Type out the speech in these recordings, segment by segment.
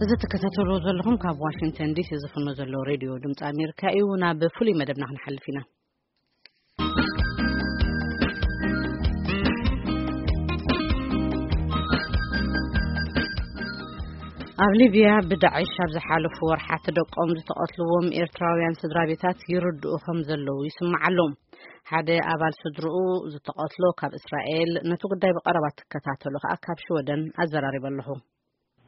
እዚ ትከታተልዎ ዘለኹም ካብ ዋሽንግተን ዲሲ ዝፍኖ ዘሎ ሬድዮ ድምፂ ኣሜሪካ እዩ። ናብ ፍሉይ መደብና ክንሓልፍ ኢና። ኣብ ሊብያ ብዳዕሽ ኣብ ዝሓለፉ ወርሓት ደቆም ዝተቐትልዎም ኤርትራውያን ስድራ ቤታት ይርድኡ ከም ዘለዉ ይስማዕ ኣሎ። ሓደ ኣባል ስድርኡ ዝተቐትሎ ካብ እስራኤል፣ ነቲ ጉዳይ ብቐረባ ትከታተሎ ከኣ ካብ ሽወደን ኣዘራሪበ ኣለኹ።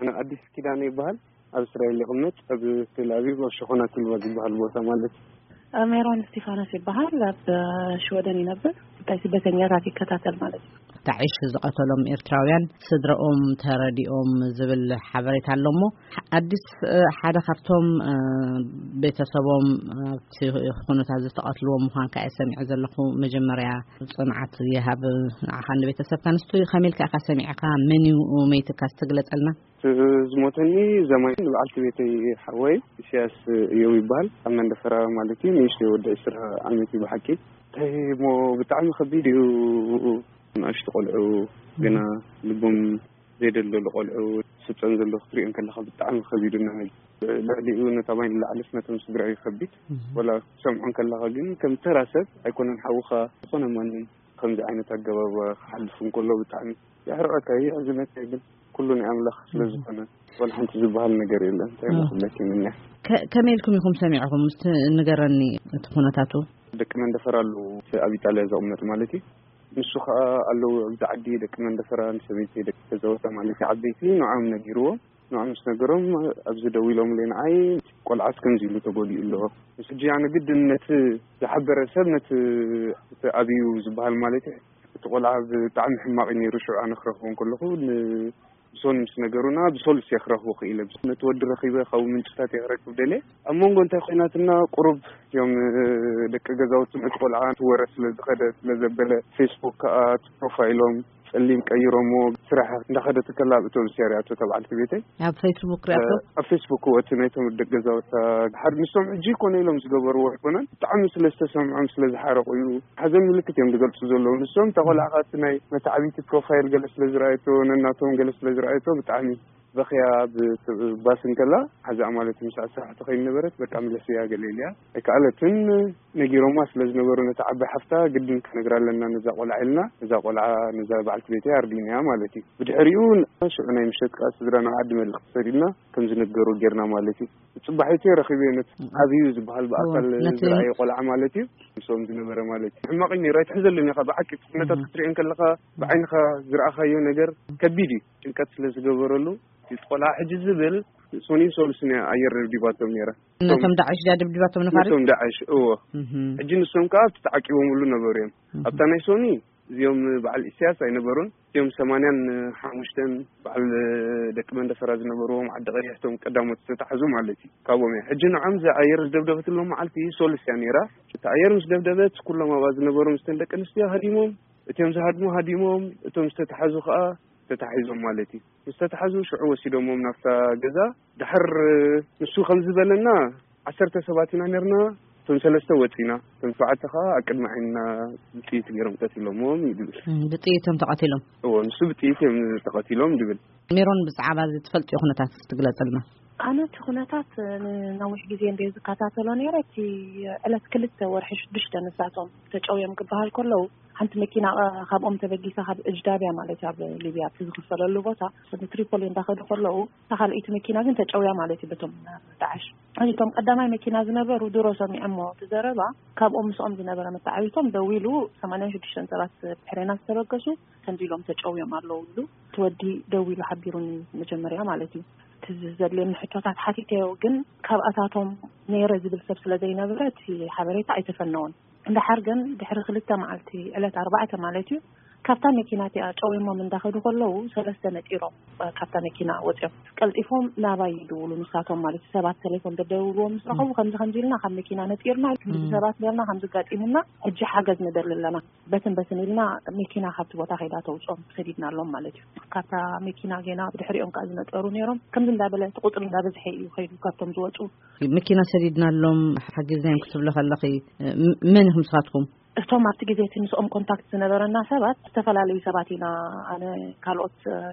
ኣነ ኣዲስ ኪዳነ ይበሃል። ኣብ እስራኤል ይቕመጥ፣ ኣብ ቴል ኣቪቭ፣ ኣብ ሸኾና ትልባ ዝበሃል ቦታ ማለት እዩ። ሜሮን እስቲፋኖስ ይበሃል። ኣብ ሽወደን ይነብር። ጉዳይ ስደተኛታት ይከታተል ማለት እዩ። ዳዕሽ ዝቐተሎም ኤርትራውያን ስድረኦም ተረዲኦም ዝብል ሓበሬታ ኣሎ እሞ፣ ኣዲስ፣ እ፣ ሓደ ካብቶም፣ እ፣ ቤተሰቦም ኣብቲ ኩነታት ዝተቐትልዎም ምዃንካ እየ ሰሚዐ ዘለኹ። መጀመርያ ጽንዓት ይሃብ ንዓኻን ንቤተሰብካን። እስቲ ከመይ ኢልካ ኢኻ ሰሚዕካ? መን እዩ መይትካ? እስቲ ግለጸልና። ዝሞተኒ ዘማይ ንበዓልቲ ቤተይ ሓወይ ኢሳያስ እዮም ይበሃል። ኣብ መንደፈራ ማለት እዩ። ንእሽተይ ወዲ ዕስራ ዓመት እዩ ብሓቂ። እንታይ እሞ ብጣዕሚ ከቢድ እዩ። ንኣሽቱ ቆልዑ ገና ልቦም ዘይደለሉ ቆልዑ ስፀን ዘሎ ክትሪኦ ከለኻ ብጣዕሚ ከቢድ እዩ። ልዕሊኡ ነታ ማይ ንላዕልስ ነቶም ስድራ እዩ ከቢድ። እህ። ወላ ክትሰምዖ ከለኻ ግን ከም ተራ ሰብ ኣይኮነን ሓውኻ ዝኾነ ማንም ከምዚ ዓይነት ኣገባብ ክሓልፍ እንከሎ ብጣዕሚ የሕርቐካ፣ የሕዝነካ። ግን ኩሉ ናይ ኣምላኽ ስለ ዝኾነ ዋላ ሓንቲ ዝበሃል ነገር የለን። እንታይ እህ። ክብለኪ ምንያ? ከ-፣ ከመይ ኢልኩም ኢኹም ሰሚዕኹም? እስቲ ንገረኒ እቲ ኩነታቱ። ደቂ መንደፈራ ኣለዉ፣ እቲ ኣብ ኢጣልያ ዝቕመጥ ማለት እዩ። ንሱ ኸኣ ኣለዉ ኣብዚ ዓዲ ደቂ መንደፈራ፣ ንሰበይቲ ደቂ ገዛውታ ማለት እዩ፣ ዓበይቲ ንዖም ነጊርዎም። ንዖም ምስ ነገሮም ኣብዚ ደው ኢሎምለይ ንዓይ፣ ቆልዓስ ከምዚ ኢሉ ተጎዲኡ ኣሎ። ምስ ሕጂ ኣነ ግድን ነቲ ዝሓበረ ሰብ፣ ነቲ፣ እቲ ኣብዩ ዝበሃል ማለት እዩ፣ እቲ ቆልዓ ብጣዕሚ ሕማቕ እዩ ነይሩ። ሽዑ ኣነ ክረኽቦ እንከለኹ ን-፣ ብሶኒ ምስ ነገሩና ብሶሉስ እየ ክረኽቦ ክኢለ። ነቲ ወዲ ረኺበ ካብኡ ምንጭታት እየ ክረክብ ደልየ። ኣብ መንጎ እንታይ ኮይናትና ቁሩብ እዮም፣ እ፣ ደቂ ገዛውቲ እቲ ቆልዓ እቲ ወረ ስለ ዝኸደ ስለ ዘበለ ፌስቡክ ከኣ እቲ ፕሮፋይሎም ጸሊም ቀይሮሞ ስራሕ እንዳኸደት ከላ ኣብ ኣውቶቡስ እያ ሪኣቶ እታ በዓልቲ ቤተይ። ኣብ ፌስቡክ ሪኣቶ? እ፣ ኣብ ፌስቡክ እዎ፣ እቲ ናይቶም ደቂ ገዛውታ ሓደ ንሶም ሕጂ ኮነ ኢሎም ዝገበርዎ ኣይኮነን። ብጣዕሚ ስለ ዝተሰምዖም ስለ ዝሓረቑ እዩ። ሓዘን ምልክት እዮም ዝገልጹ ዘለዉ። ንሶም እታ ቆልዓ ከኣ እቲ ናይ መታዕቢቲ ፕሮፋይል ገለ ስለ ዝረኣየቶ፣ ነናቶም ገለ ስለ ዝረኣየቶ ብጣዕሚ በኽያ ብ-፣ ባስ እንከላ ሓዛ ማለት ምሳዕ ስራሕ ትኸይድ ነበረት። በቃ ምለስያ ገለ ኢልያ ኣይከኣለትን። ነጊሮማ ስለ ዝነበሩ ነታ ዓባይ ሓፍታ ግድን ክነግራ ኣለና ነዛ ቆልዓ ኢልና፣ ነዛ ቆልዓ ነዛ በዓልቲ ቤተይ ኣርዲናያ ማለት እዩ። ብድሕሪኡ ሽዑ ናይ ምሸት ከኣ ስድራ ናብ ዓዲ መልእኽቲ ሰዲድና ከም ዝነገሩ ጌርና ማለት እዩ። ጽባሒቱ ረኺበዮ ነቲ ዓብዩ ዝበሃል ብኣካል እዎ፣ ነቲ ዝረኣየ ቆልዓ ማለት እዩ። ምስኦም ዝነበረ ማለት እዩ። ሕማቕ እዩ ነይሩ፣ ኣይትሕዘሉን ኢኻ ብሓቂ። ነታት እህ። ክትሪኦ እንከለኻ ብዓይንኻ ዝረኣኻዮ ነገር ከቢድ እዩ። ጭንቀት ስለ ዝገበረሉ እቲ ቆልዓ ሕጂ ዝብል ሶኒን ሶሉስን እያ ኣየር ደብዲባቶም ነይራ። ነቶም ዳዕሽ ድያ ደብዲባቶም ነፋሪት? ነቶም ዳዕሽ፣ እዎ። እህ። ሕጂ ንሶም ከኣ ኣብቲ ተዓቂቦምሉ ነበሩ እዮም። እህ። ኣብታ ናይ ሶኒ እዚኦም በዓል ኢሳያስ ኣይነበሩን። እዚኦም ሰማንያን ሓሙሽተን በዓል ደቂ መንደፈራ ዝነበርዎም ዓዲ ቀይሕቶም ቀዳሞት ዝተታሕዙ ማለት እዩ። ካብኦም እያ። ሕጂ ንዖም እዛ ኣየር ዝደብደበትሎም መዓልቲ ሶሉስ እያ ነይራ። እቲ ኣየር ምስ ደብደበት ኩሎም ኣብኣ ዝነበሩ ምስተን ደቂ ኣንስትዮ ሃዲሞም፣ እቲኦም ዝሃድሙ ሃዲሞም፣ እቶም ዝተታሕዙ ከኣ ተታሒዞም ማለት እዩ። ምስ ተታሕዙ ሽዑ ወሲዶሞም ናብታ ገዛ። ድሓር ንሱ ከም ዝበለና ዓሰርተ ሰባት ኢና ነርና፣ እቶም ሰለስተ ወጺና፣ እቶም ሸውዓተ ከኣ ኣብ ቅድሚ ዓይንና ብጥይት ገይሮም ቀቲሎሞም እዩ ዝብል። እም፣ ብጥይት እዮም ተቐቲሎም? እዎ፣ ንሱ ብጥይት እዮም ተቐቲሎም ዝብል። ሜሮን፣ ብዛዕባ እዚ ትፈልጥዮ ኩነታት እስቲ ግለጽልና። ኣነ እቲ ኩነታት ንነዊሕ ግዜ እንደ ዝከታተሎ ነይረ። እቲ ዕለት ክልተ ወርሒ ሽዱሽተ ንሳቶም ተጨውዮም ክበሃል ከለዉ፣ ሓንቲ መኪና፣ እ፣ ካብኦም ተበጊሳ ካብ እጅዳብያ ማለት እዩ፣ ኣብ ሊብያ እቲ ዝኽፈለሉ ቦታ፣ ንትሪፖሊ እንዳኸዱ ከለዉ፣ እታ ካልኣይቲ መኪና ግን ተጨውያ ማለት እዩ በቶም ዳዕሽ። እቶም ቀዳማይ መኪና ዝነበሩ ድሮ ሰሚዖሞ እቲ ዘረባ፣ ካብኦም ምስኦም ዝነበረ መተዓቢቶም ደዊሉ፣ ሰማንያን ሽዱሽተን ሰባት ብድሕሬና ዝተበገሱ፣ ከምዚ ኢሎም ተጨውዮም ኣለዉ ኢሉ እቲ ወዲ ደዊሉ ሓቢሩኒ መጀመርያ ማለት እዩ። እቲ ዘድልየኒ ሕቶታት ሓቲተዮ፣ ግን ካብኣታቶም ነይረ ዝብል ሰብ ስለ ዘይነበረ እቲ ሓበሬታ ኣይተፈነወን። እንድሓር ግን ድሕሪ ክልተ መዓልቲ፣ ዕለት ኣርባዕተ ማለት እዩ፣ ካብታ መኪና እቲኣ ጨውዮሞም እንዳኸዱ ከለዉ፣ ሰለስተ ነጢሮም፣ እ፣ ካብታ መኪና ወፂኦም። ቀልጢፎም ናባይ ይድውሉ፣ ንሳቶም ማለት እዩ። ሰባት ቴሌፎን ደደውልዎም ምስ ረኸቡ፣ ከምዚ ከምዚ ኢልና ካብ መኪና ነጢርና፣ ከምዚ እም። ሰባት ኔርና፣ ከምዚ ጋጢሙና፣ ሕጂ ሓገዝ ንደሊ ኣለና። በትን በትን ኢልና መኪና ካብቲ ቦታ ከይዳ ተውፅኦም ሰዲድናሎም ማለት እዩ። ካብታ መኪና ጌና ብድሕሪኦም ከኣ ዝነጠሩ ነይሮም። ከምዚ እንዳበለ እቲ ቁፅሪ እንዳበዝሐ እዩ ከይዱ ካብቶም ዝወፁ። መኪና ሰዲድናሎም ሓጊዝናዮም ክትብሎ ከለኺ፣ ም-፣ መን ኢኹም ንስኻትኩም? እቶም ኣብቲ ግዜ እቲ ምስኦም ኮንታክት ዝነበረና ሰባት ዝተፈላለዩ ሰባት ኢና። ኣነ፣ ካልኦት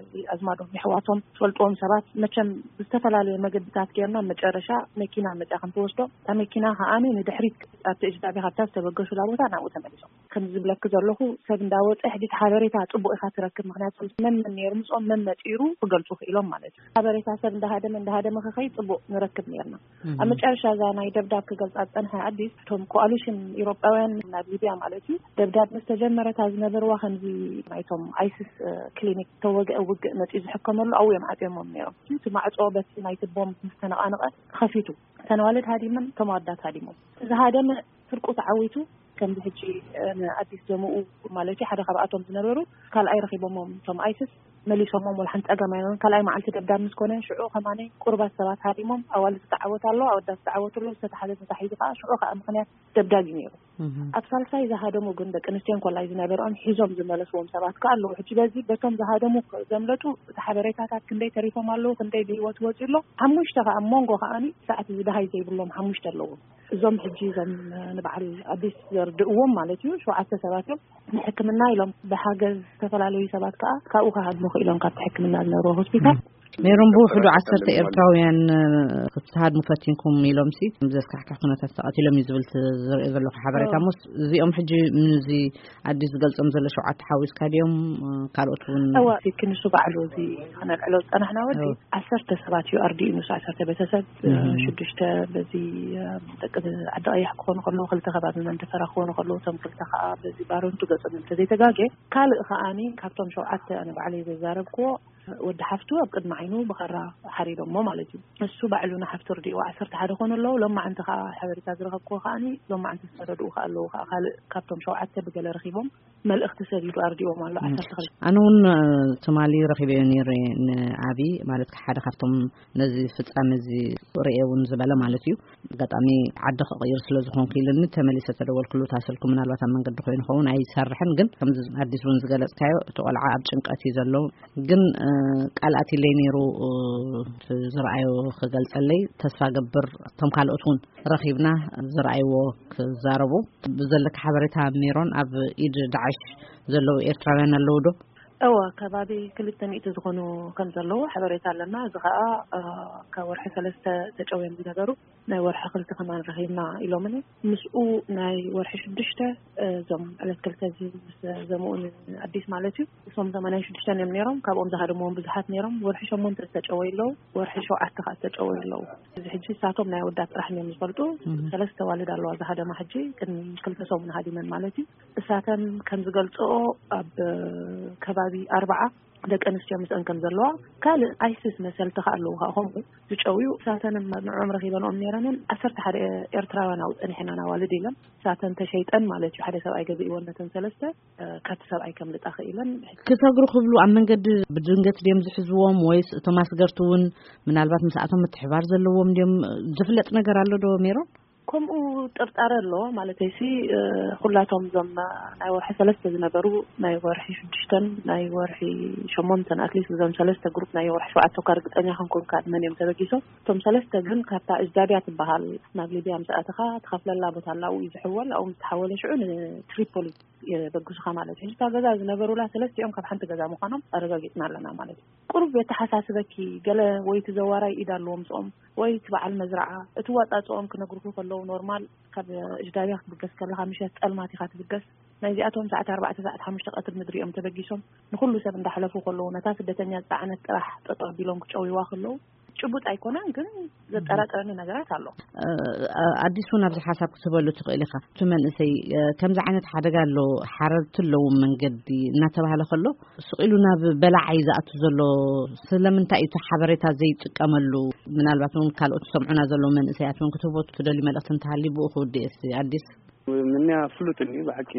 ኣዝማዶም፣ የሕዋቶም፣ ዝፈልጥዎም ሰባት፣ መቸም ብዝተፈላለየ መገድታት ጌርና መጨረሻ መኪና መፅያ ከም ትወስዶ፣ እታ መኪና ከዓኒ ንድሕሪት ኣብቲ እጅዳቢ ካብታ ዝተበገሱላ ቦታ ናብኡ ተመሊሶም። ከም ዝብለክ ዘለኹ፣ ሰብ እንዳወፀ ሕጂ ሓበሬታ ፅቡቅ ኢካ ትረክብ። ምክንያቱ መን መን ነይሩ ምስኦም፣ መን መፂሩ ክገልፁ ክኢሎም ማለት እዩ። ሓበሬታ ሰብ እንዳሃደመ እንዳሃደመ ክኸይ ፅቡቅ ንረክብ ነርና። ኣብ መጨረሻ እዛ ናይ ደብዳብ ክገልፃ ዝፀንሐ ኣዲስ፣ እቶም ኮኣሊሽን ኢሮጳውያን ናብ ሊብያ ማለት እዩ፣ ደብዳብ ምስ ተጀመረታ ዝነበርዋ ከምዚ ናይቶም ኣይስስ ክሊኒክ ተወግአ ውግእ መፂኡ ዝሕከመሉ ኣብኡ እዮም ዓፅዮሞም ነይሮም። እቲ ማዕፆ በቲ ናይቲ ቦምብ ምስ ተነቃነቀ ተኸፊቱ። እተን ኣዋልድ ሃዲመን፣ እቶም ኣወዳት ሃዲሞም። ዝሃደመ ፍርቁ ተዓዊቱ። ከምዚ ሕጂ ንኣዲስ ዘምኡ ማለት እዩ፣ ሓደ ካብኣቶም ዝነበሩ ካልኣይ ረኺቦሞም እቶም ኣይስስ፣ መሊሶሞም። ወላ ሓንቲ ጸገም ኣይነበሮም። ካልኣይ መዓልቲ ደብዳብ ምስ ኮነ ሽዑ ከማነይ ቁሩባት ሰባት ሃዲሞም። ኣዋልድ ዝተዓወት ኣሎ፣ ኣወዳት ዝተዓወት ኣሎ፣ ዝተታሕዘ ተታሒዙ ከኣ ሽዑ ከኣ ምኽንያት ደብዳብ እዩ ነይሩ። ኣብ ሳልሳይ ዝሃደሙ ግን ደቂ ኣንስትዮን ኮላይ ዝነበርኦም ሒዞም ዝመለስዎም ሰባት ከኣ ኣለዉ። ሕጂ በዚ በቶም ዝሃደሙ ዘምለጡ እቲ ሓበሬታታት ክንደይ ተሪፎም ኣለዉ፣ ክንደይ ብህይወት ወፂኡ ኣሎ። ሓሙሽተ ከኣ ኣብ መንጎ ከኣኒ ሰዓት ዝደሃይ ዘይብሎም ሓሙሽተ ኣለዉ። እዞም ሕጂ እዞም ንበዓል ኣዲስ ዘርድእዎም ማለት እዩ፣ ሸውዓተ ሰባት እዮም። ንሕክምና ኢሎም ብሓገዝ ዝተፈላለዩ ሰባት ከኣ ካብኡ ክሃድሙ ክኢሎም ካብቲ ሕክምና ዝነበርዎ ሆስፒታል። ሜሮን፣ ብውሕዱ ዓሰርተ ኤርትራውያን ክትሃድሙ ፈቲንኩም ኢሎም ሲ ብዘስካሕክሕ ኩነታት ተቐቲሎም እዩ ዝብል ዝርኢ ዘለኹ ሓበሬታ። ሞስ እዚኦም ሕጂ ምዚ ኣዲስ ዝገልጾም ዘሎ ሸውዓተ ሓዊስካ ድዮም ካልኦት እውን? እዋ፣ እቲ ክንሱ ባዕሉ እዚ ክነልዕሎ ዝጸናሕና ወዲ ዓሰርተ ሰባት እዩ ኣርዲኡ፣ ንሱ ዓሰርተ ቤተሰብ፣ ሽዱሽተ በዚ ደቂ ዓዲ ቀያሕ ክኾኑ ከለዉ፣ ክልተ ከባቢ መንደፈራ ክኾኑ ከለዉ፣ እቶም ክልተ ከዓ በዚ ባረንቱ ገጾም እንተዘይተጋጌ፣ ካልእ ከዓኒ ካብቶም ሸውዓተ ኣነ ባዕለይ ዘዛረብክዎ ወዲ ሓፍቱ ኣብ ቅድሚ ዓይኑ ብኸራ ሓሪዶሞ ማለት እዩ። እሱ ባዕሉ ንሓፍቱ ርዲእዎ ዓሰርተ ሓደ ኮኑ ኣለዉ። ሎማዓንቲ ከዓ ሓበሬታ ዝረኸብክዎ ከዓኒ ሎማዓንቲ ዝተረድኡ ከዓ ኣለዉ። ከዓ ካልእ ካብቶም ሸውዓተ ብገለ ረኺቦም መልእኽቲ ሰዲዱ ኣርዲዎም ኣሎ። ዓሰርተ ክልተ ኣነ እውን ትማሊ ረኺበዮ ነይረ ንዓቢ ማለት ሓደ ካብቶም ነዚ ፍጻመ እዚ ርእየ እውን ዝበለ ማለት እዩ። ኣጋጣሚ ዓዲ ክቕይር ስለ ዝኾንኩ ኢሉኒ ተመሊሰ ተደወልኩሉ። እታ ስልኩ ምናልባት ኣብ መንገዲ ኮይኑ ኸውን ኣይሰርሕን፣ ግን ከምዚ ኣዲስ እውን ዝገለጽካዮ እቲ ቆልዓ ኣብ ጭንቀት እዩ ዘሎ። ግን ቃል ኣትለይ ነይሩ ዝረኣዮ ክገልጸለይ ተስፋ ገብር እቶም ካልኦት እውን ረኺብና ዝረኣይዎ ክዛረቡ ብዘለካ ሓበሬታ ሜሮን ኣብ ኢድ ዳዕሽ ዘለዉ ኤርትራውያን ኣለዉ ዶ? እወ፣ ከባቢ ክልተ ሚእቲ ዝኾኑ ከም ዘለዉ ሓበሬታ ኣለና። እዚ ኸኣ ካብ ወርሒ ሰለስተ ተጨውዮም ዝነበሩ ናይ ወርሒ ክልተ ከማን ረኺብና ኢሎምኒ። ምስኡ ናይ ወርሒ ሽዱሽተ እዞም ዕለት ክልተ እዚ ምስ ዘምኡን ኣዲስ ማለት እዩ። እሶም ሰማንያን ሽዱሽተን እዮም ነይሮም። ካብኦም ዝሃደምዎም ብዙሓት ነይሮም። ወርሒ ሸሞንተ ዝተጨወዩ ኣለዉ፣ ወርሒ ሸውዓተ ከዓ ዝተጨወዩ ኣለዉ። እዚ ሕጂ እሳቶም ናይ ኣወዳት ጥራሕ እዮም ዝፈልጡ። ሰለስተ ዋልድ ኣለዋ ዝሃደማ ሕጂ ቅድሚ ክልተ ሰሙን ሃዲመን ማለት እዩ። እሳተን ከም ዝገልጽኦ ኣብ ከባቢ ኣርባዓ ደቂ ኣንስትዮ ምስአን ከም ዘለዋ፣ ካልእ ኣይሲስ መሰልቲ ከኣ ኣለዉ ከኣ ከምኡ ዝጨውዩ። እሳተን ንዕኦም ረኺበንኦም ነይረንን ዓሰርተ ሓደ ኤርትራውያን ኣብኡ ጸኒሐናን ኣዋልድ ኢለን። እሳተን ተሸይጠን ማለት እዩ። ሓደ ሰብኣይ ገዚእወን ነተን ሰለስተ ካብቲ ሰብኣይ ከምልጣ ክኢለን። ክሰግሩ ክብሉ ኣብ መንገዲ ብድንገት ድዮም ዝሕዝዎም ወይስ እቶም ኣስገርቲ እውን ምናልባት ምስኣቶም ምትሕባር ዘለዎም ድዮም? ዝፍለጥ ነገር ኣሎ ዶ ሜሮን? ከምኡ ጥርጣረ ኣሎ ማለተይሲ፣ ኩላቶም እዞም ናይ ወርሒ ሰለስተ ዝነበሩ፣ ናይ ወርሒ ሽዱሽተን ናይ ወርሒ ሸሞንተን ኣትሊስት እዞም ሰለስተ ግሩፕ ናይ ወርሒ ሸውዓተ እኳ ርግጸኛ ክንኮንካ መን እዮም ተበጊሶም። እቶም ሰለስተ ግን ካብታ እጅዳብያ ትበሃል ናብ ሊብያ ምስ ኣተኻ ትኸፍለላ ቦታ ኣላ፣ ኣብኡ እዩ ዝሕወል። ኣብኡ ምስ ተሓወለ ሽዑ ንትሪፖሊ የበግሱኻ ማለት እዩ። ሕጂ እታ ገዛ ዝነበሩላ ሰለስቲኦም ካብ ሓንቲ ገዛ ምዃኖም ኣረጋጊጽና ኣለና ማለት እዩ። ቁሩብ የተሓሳስበኪ፣ ገለ ወይ እቲ ዘዋራይ ኢድ ኣለዎ ምስኦም ወይ እቲ በዓል መዝረዓ። እቲ ዋጻጽኦም ክነግሩኹ ከለዉ ኖርማል ካብ እጅዳብያ ክትብገስ ከለኻ ምሸት ጸልማት ኢኻ ትብገስ። ናይዚኣቶም ሰዓት ኣርባዕተ ሰዓት ሓሙሽተ ቀትሪ ምድሪ እዮም ተበጊሶም። ንኹሉ ሰብ እንዳሕለፉ ከለዉ ነታ ስደተኛ ዝጸዓነት ጥራሕ ጠጠው ኣቢሎም ክጨውይዋ ከለዉ ጭቡጥ ኣይኮነን፣ ግን ዘጠራጥረኒ ነገራት ኣሎ። ኣዲስ እውን ኣብዚ ሓሳብ ክትህበሉ ትኽእል ኢኻ። እቲ መንእሰይ ከምዚ ዓይነት ሓደጋ ኣሎ፣ ሓረርቲ ኣለዉ መንገዲ እናተባህለ ከሎ ስቕ ኢሉ ናብ በላዓይ ዝኣቱ ዘሎ ስለምንታይ እዩ እቲ ሓበሬታ ዘይጥቀመሉ? ምናልባት እውን ካልኦት ዝሰምዑና ዘለዉ መንእሰያት እውን ክትህቦ ትደልዩ መልእኽቲ እንተሃልዩ ብኡ ክውድእ እስቲ ኣዲስ። ምንያ ፍሉጥን እዩ ብሓቂ።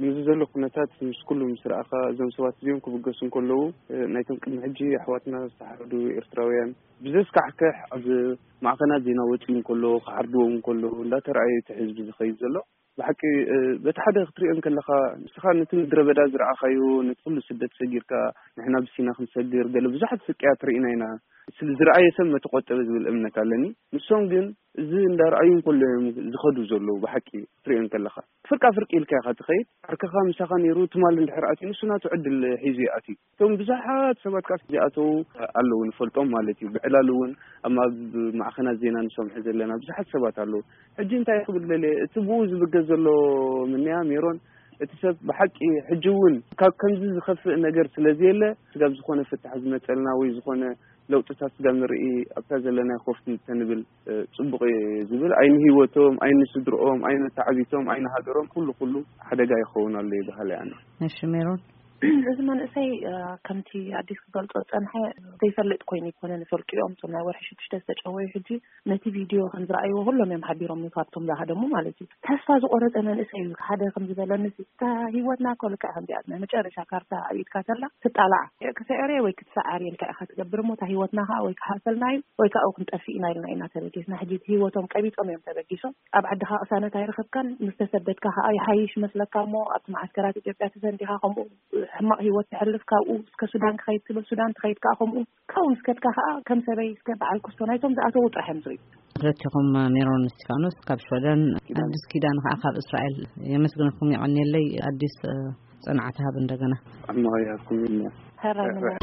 ምስዚ ዘሎ ኩነታት ምስ ኩሉ ምስ ረኣኻ፣ እዞም ሰባት እዚኦም ክብገሱ እንከለዉ፣ ናይቶም ቅድሚ ሕጂ ኣሕዋትና ዝተሓረዱ ኤርትራውያን ብዘስካሕክሕ ኣብ ማዕኸናት ዜና ወጺኡ እንከሎ፣ ክዓርድዎም እንከሎ እንዳተረኣየ እቲ ህዝቢ ዝኸይድ ዘሎ። ብሓቂ በቲ ሓደ ክትሪኦ እንከለኻ፣ ንስኻ ነቲ ምድረ በዳ ዝረኣኻዮ፣ ነቲ ኩሉ ስደት ሰጊርካ፣ ንሕና ብሲና ክንሰግር፣ ገለ ብዙሓት ስቅያት ርኢና ኢና። ስለ ዝረኣየ ሰብ መተቆጠበ ዝብል እምነት ኣለኒ። ንሶም ግን እዚ እንዳረኣዩ እንከሎ እዮም ዝኸዱ ዘለዉ። ብሓቂ ክትሪኦ እንከለኻ፣ ፍርቃ ፍርቂ ኢልካ ኢኻ ትኸይድ። ዓርከኻ ምሳኻ ነይሩ፣ ትማል እንድሕር ኣትዩ፣ ንሱ ናቱ ዕድል ሒዙ ይኣትዩ። እቶም ብዙሓት ሰባት ከኣ ዝኣተዉ ኣለዉ፣ ንፈልጦም ማለት እዩ። ብዕላል እውን ኣብ ማብ-፣ ማዕኸናት ዜና ንሰምዖ ዘለና ብዙሓት ሰባት ኣለዉ። ሕጂ እንታይ ክብል ደልየ፣ እቲ ብኡ ዝብገስ ዘሎ ምንያ ሜሮን፣ እቲ ሰብ ብሓቂ ሕጂ እውን ካብ ከምዚ ዝኸፍእ ነገር ስለ ዘየለ፣ ስጋብ ዝኾነ ፍታሕ ዝመጸልና ወይ ዝኾነ ለውጥታት ስጋብ ንርኢ፣ ኣብታ ዘለናዮ ኮፍ ተንብል፣ እ፣ ጽቡቕ እየ ዝብል። ኣይንህይወቶም፣ ኣይንስድርኦም፣ ኣይነተዓቢቶም፣ ኣይንሃገሮም፣ ኩሉ ኩሉ ሓደጋ ይኸውን ኣሎ ይበሃል ኣነ። እሺ ሜሮን። እዚ መንእሰይ፣ እ፣ ከምቲ ኣዲስ ክገልጾ ዝጸንሐ ዘይፈልጥ ኮይኑ ይኮነ፣ ንፈልጡ እዮም። እቶም ናይ ወርሒ ሽዱሽተ ዝተጨወዩ ሕጂ ነቲ ቪድዮ ከም ዝረኣይዎ ኩሎም እዮም ሓቢሮም፣ ካብቶም ዝሃደሙ ማለት እዩ። ተስፋ ዝቆረጸ መንእሰይ እዩ። ሓደ ከም ዝበለኒ፣ እታ ህይወትና እኮ ልክዕ ከምዚኣ ናይ መጨረሻ ካርታ ኣብ ኢድካ ተላ ትጣላዓ። ክትስዕር ወይ ክትሰዓር ኢልካ ኢኻ ትገብር እሞ፣ እታ ህይወትና ከዓ ወይ ክሓልፈልና እዩ ወይ ከዓ ክንጠፍእ ኢና ኢልና ኢና ተበጊስና። ሕጂ ህይወቶም ቀቢጾም እዮም ተበጊሶም። ኣብ ዓድኻ ቅሳነት ኣይረኸብካን፣ ምስ ተሰደድካ ከዓ ይሓይሽ መስለካ እሞ፣ ኣብቲ መዓስከራት ኢትዮጵያ ተሰንዲኻ ከምኡ ሕማቕ ህይወት ተሕልፍ፣ ካብኡ እስከ ሱዳን ክኸይድ ትብል፣ ሱዳን ትኸይድ ከዓ ከምኡ፣ ካብኡ እስከትካ ከዓ ከም ሰበይ እስከ በዓል ክስቶ ናይቶም ዝኣተዉ ጥራሕ እዮም ዝርእዩ። ክልቲኹም ሜሮን እስቲፋኖስ ካብ ሽወደን፣ ኣዲስ ኪዳን ከዓ ካብ እስራኤል የመስግነኩም፣ የቐንየለይ። ኣዲስ፣ እ፣ ጽንዓት ሃብ እንደገና። ሕማቕ ይሃብኩም ኢልና። ሕራይ ንመ-፣